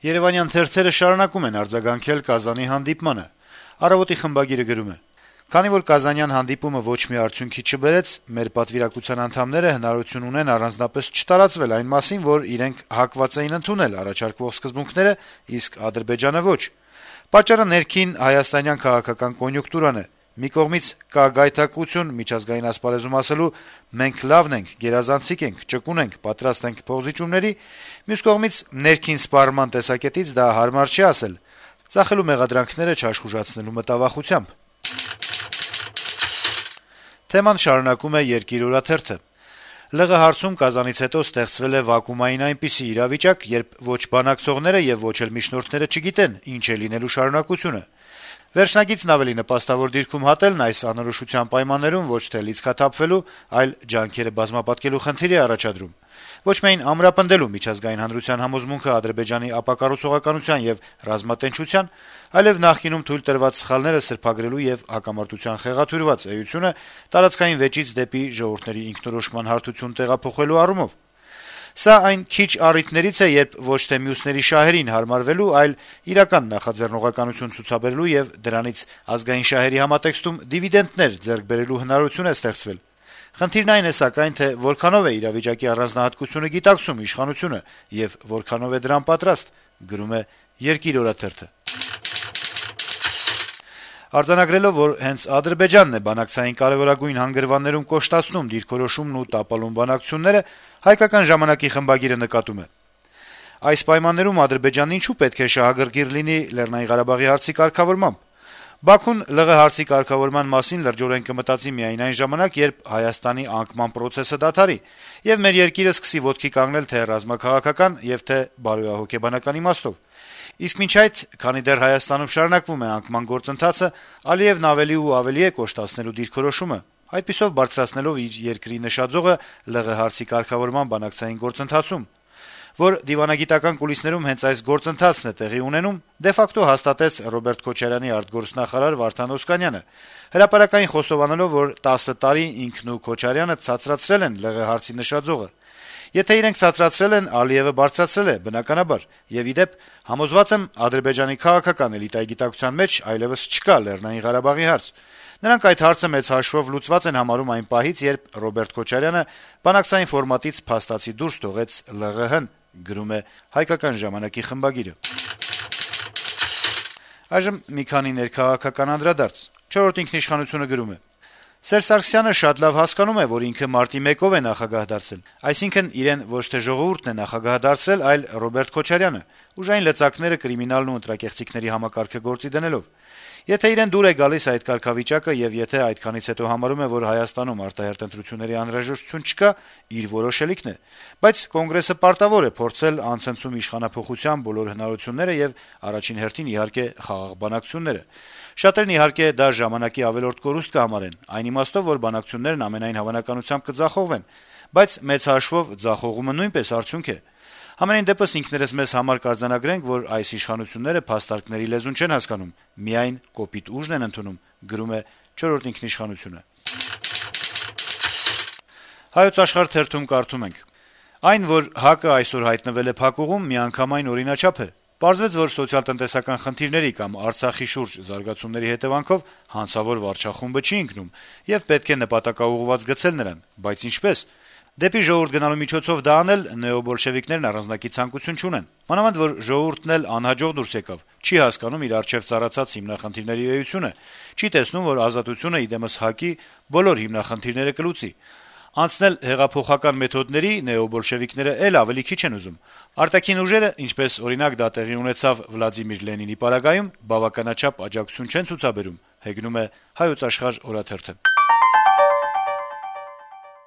Երեւանյան թերթերը շարունակում են արձագանքել Կազանի հանդիպմանը։ «Առավոտ»-ի խմբագիրը գրում է. - «Քանի որ Կազանյան հանդիպումը ոչ մի արդյունքի չբերեց, մեր պատվիրակության անդամները հնարավորություն ունեն առանձնապես չտարածվել այն մասին, որ իրենք հակված էին ընդունել առաջարկվող սկզբունքները, իսկ Ադրբեջանը ոչ։ Պատճառը ներքին հայաստանյան քաղաքական կոնյունկտուրան է։ Մի կողմից կա գայթակղություն միջազգային ասպարեզում ասելու «մենք լավն ենք, գերազանցիկ ենք, ճկուն ենք, պատրաստ ենք փոխզիջումների», մյուս կողմից ներքին սպառման տեսակետից դա հարմար չի ասել, ծախելու մեղադրանքները չաշխուժացնելու մտավախությամբ»։ Թեման շարունակում է «Երկիր» օրաթերթը. - «ԼՂ հարցում Կազանից հետո ստեղծվել է վակուումային այնպիսի իրավիճակ, երբ ոչ բանակցողները եւ ոչ էլ միջնորդները չգիտեն ինչ է լինելու շարունակությունը։ Վերջնագիծն ավելի նպաստավոր դիրքում հատելն այս անորոշության պայմաններում ոչ թե լիցքաթափվելու, այլ ջանքերը բազմապատկելու խնդիր է առաջադրում։ Ոչ միայն ամրապնդելու միջազգային հանրության համոզմունքը Ադրբեջանի ապակառուցողականության եւ ռազմատենչության, այլեւ նախկինում թույլ տրված սխալները սրբագրելու եւ հակամարտության խեղաթյուրված էությունը տարածքային վեճից դեպի ժողովուրդների ինքնորոշման հարթություն տեղափոխելու առումով։ Սա այն քիչ առիթներից է, երբ ոչ թե մյուսների շահերին հարմարվելու, այլ իրական նախաձեռնողականություն ցուցաբերելու եւ դրանից ազգային շահերի համատեքստում դիվիդենտներ ձեռք բերելու հնարավորություն է ստեղծվել։ Խնդիրն այն է, սակայն, թե որքանով է իրավիճակի առանձնահատկությունը գիտակցում իշխանությունը եւ որքանով է դրան պատրաստ, գրում է «Երկիր» օրաթերթը։ Արձանագրելով, որ հենց Ադրբեջանն է բանակցային կարեւորագույն հանգրվաններում կոշտացնում դիրքորոշումն ու տապալում բանակցությունները, «Հայկական ժամանակ»-ի խմբագիրը նկատում է. - «Այս պայմաններում Ադրբեջանն ինչու պետք է շահագրգիռ լինի Լեռնային Ղարաբաղի հարցի կարգավորմամբ։ Բաքուն ԼՂ հարցի կարգավորման մասին լրջորեն կմտածի միայն այն ժամանակ, երբ Հայաստանի անկման պրոցեսը դադարի, եւ մեր երկիրը սկսի ոտքի կանգնել թե ռազմաքաղաքական եւ թե բարոյահոգեբանական իմաստով։ Իսկ մինչ այդ, քանի դեռ Հայաստանում շարունակվում է անկման գործընթացը, Ալիևն ավելի ու ավելի է կոշտացնելու դիրքորոշումը, այդպիսով բարձրացնելով իր երկրի նշաձողը ԼՂ հարցի կարգավորման բանակցային գործընթացում, որ դիվանագիտական կուլիսներում հենց այս գործընթացն է տեղի ունենում, դե ֆակտո հաստատեց Ռոբերտ Քոչարյանի արտգործնախարար Վարդան Օսկանյանը, հրապարակային խոստովանելով, որ 10 տարի ինքն ու Քոչարյանը ցածրացրել են ԼՂ հարցի նշաձողը։ Եթե իրենք ցածրացրել են, Ալիևը բարձրացրել է, բնականաբար, եւ ի դեպ, համոզված եմ, Ադրբեջանի քաղաքական էլիտայի գիտակցության մեջ այլեւս չկա Լեռնային Ղարաբաղի հարց։ Նրանք այդ հարցը մեծ հաշվով լուծված են համարում այն պահից, երբ Ռոբերտ Քոչարյանը բանակցային ֆորմատից փաստացի դուրս թողեց ԼՂՀ-ն», գրում է «Հայկական ժամանակ»-ի խմբագիրը։ Այժմ մի քանի ներքաղաքական անդրադարձ։ «Չորրորդ ինքնիշխանություն»-ը գրում է. - «Սերժ Սարգսյանը շատ լավ հասկանում է, որ ինքը մարտի 1-ով է նախագահ դարձել, այսինքն իրեն ոչ թե ժողովուրդն է նախագահ դարձրել, այլ Ռոբերտ Քոչարյանը, ուժային լծակները, կրիմինալն ու ընտրակեղծիքների համակարգը գործի դնելով։ Եթե իրեն դուր է գալիս այդ կարգավիճակը եւ եթե այդքանից հետո համարում է, որ Հայաստանում արտահերթ ընտրությունների անհրաժեշտություն չկա, իր որոշելիքն է, բայց Կոնգրեսը պարտավոր է փորձել անցնցում իշխանափոխության բոլոր հնարավորությունները եւ առաջին հերթին, իհարկե, խաղաղ բանակցությունները։ Շատերն, իհարկե, դա ժամանակի ավելորդ կորուստ կհամարեն, այն իմաստով, որ բանակցություններն ամենայն հավանականությամբ կձախողվեն, բայց մեծ հաշվով ձախողումը նույնպես արդյունք է։ Համենայն դեպս ինքներս մեզ համար կարձանագրենք, որ այս իշխանությունները փաստարկների լեզուն չեն հասկանում, միայն կոպիտ ուժն են ընդունում», գրում է «Չորրորդ ինքնիշխանություն»-ը։ «Հայոց Աշխարհ» թերթում կարդում ենք. - «Այն, որ ՀԱԿ-ը այսօր հայտնվել է փակուղում, միանգամայն օրինաչափ է։ Պարզվեց, որ սոցիալ-տնտեսական խնդիրների կամ Արցախի շուրջ զարգացումների հետեւանքով հանցավոր վարչախումբը չի ընկնում, եւ պետք է նպատակաուղղված գցել նրան, բայց ինչպե՞ս։ Դեպի ժողովուրդ գնալու միջոցով դա անել նեոբոլշևիկներն առանձնակի ցանկություն չունեն։ Մանավանդ, որ ժողովուրդն էլ անհաջող դուրս եկավ, չի հասկանում իր առջեւ ծառացած հիմնախնդիրների էությունը, չի տեսնում, որ ազատությունը իդեմս ՀԱԿ-ի բոլոր հիմնախնդիրները կլուծի։ Անցնել հեղափոխական մեթոդների նեոբոլշևիկները էլ ավելի քիչ են ուզում։ Արտաքին ուժերը, ինչպես օրինակ դա տեղի ունեցավ Վլադիմիր Լենինի պարագայում, բավականաչափ աջակցություն չեն ցուցաբերում», հեգնում է «Հայոց Աշխարհ» օրաթերթը։